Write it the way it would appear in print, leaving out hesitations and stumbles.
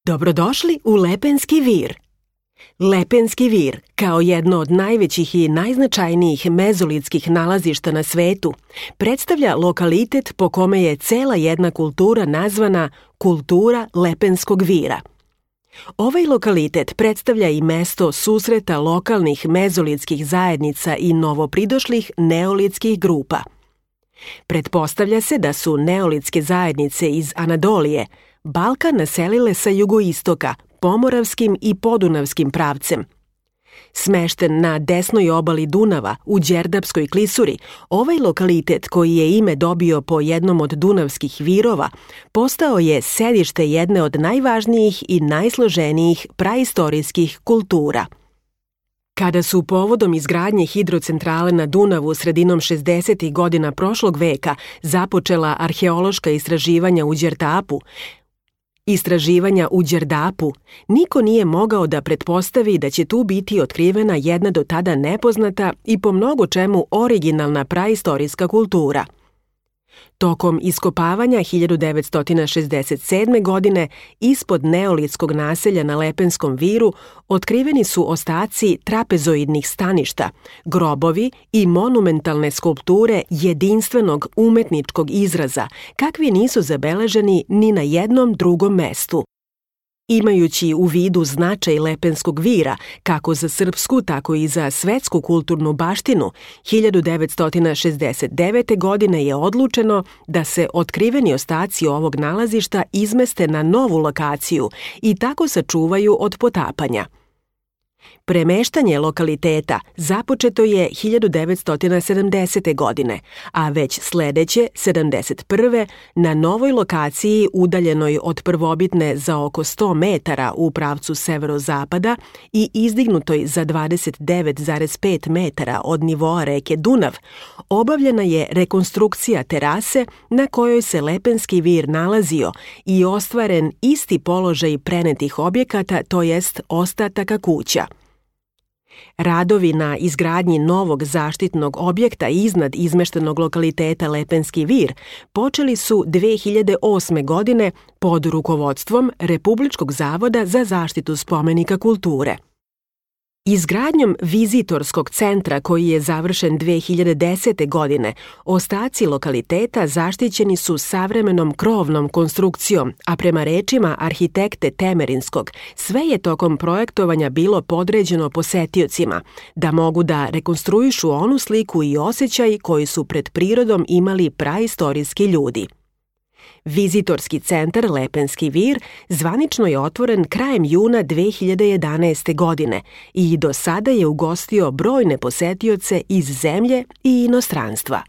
Dobrodošli u Lepenski vir. Lepenski vir, kao jedno od najvećih i najznačajnijih mezolitskih nalazišta na svetu, predstavlja lokalitet po kome je cela jedna kultura nazvana kultura Lepenskog vira. Ovaj lokalitet predstavlja i mesto susreta lokalnih mezolitskih zajednica i novopridošlih neolitskih grupa. Pretpostavlja se da su neolitske zajednice iz Anadolije Balkan naselile sa jugoistoka, pomoravskim i podunavskim pravcem. Smešten na desnoj obali Dunava, u Đerdapskoj klisuri, ovaj lokalitet koji je ime dobio po jednom od dunavskih virova, postao je sedište jedne od najvažnijih i najsloženijih praistorijskih kultura. Kada su povodom izgradnje hidrocentrale na Dunavu sredinom 60. godina prošlog veka započela arheološka istraživanja u Đerdapu, niko nije mogao da pretpostavi da će tu biti otkrivena jedna do tada nepoznata i po mnogo čemu originalna praistorijska kultura. Tokom iskopavanja 1967. godine ispod neolitskog naselja na Lepenskom viru otkriveni su ostaci trapezoidnih staništa, grobovi i monumentalne skulpture jedinstvenog umetničkog izraza, kakvi nisu zabeleženi ni na jednom drugom mestu. Imajući u vidu značaj Lepenskog vira, kako za srpsku, tako i za svetsku kulturnu baštinu, 1969. godine je odlučeno da se otkriveni ostaci ovog nalazišta izmeste na novu lokaciju i tako sačuvaju od potapanja. Premeštanje lokaliteta započeto je 1970. godine, a već sledeće, 71. na novoj lokaciji udaljenoj od prvobitne za oko 100 metara u pravcu severozapada i izdignutoj za 29,5 metara od nivoa reke Dunav, obavljena je rekonstrukcija terase na kojoj se Lepenski vir nalazio i ostvaren isti položaj prenetih objekata, to jest ostataka kuća. Radovi na izgradnji novog zaštitnog objekta iznad izmeštenog lokaliteta Lepenski vir počeli su 2008. godine pod rukovodstvom Republičkog zavoda za zaštitu spomenika kulture. Izgradnjom vizitorskog centra koji je završen 2010. godine, ostaci lokaliteta zaštićeni su savremenom krovnom konstrukcijom, a prema rečima arhitekte Temerinskog, sve je tokom projektovanja bilo podređeno posetiocima, da mogu da rekonstruišu onu sliku i osjećaj koji su pred prirodom imali praistorijski ljudi. Vizitorski centar Lepenski vir zvanično je otvoren krajem juna 2011. godine i do sada je ugostio brojne posetioce iz zemlje i inostranstva.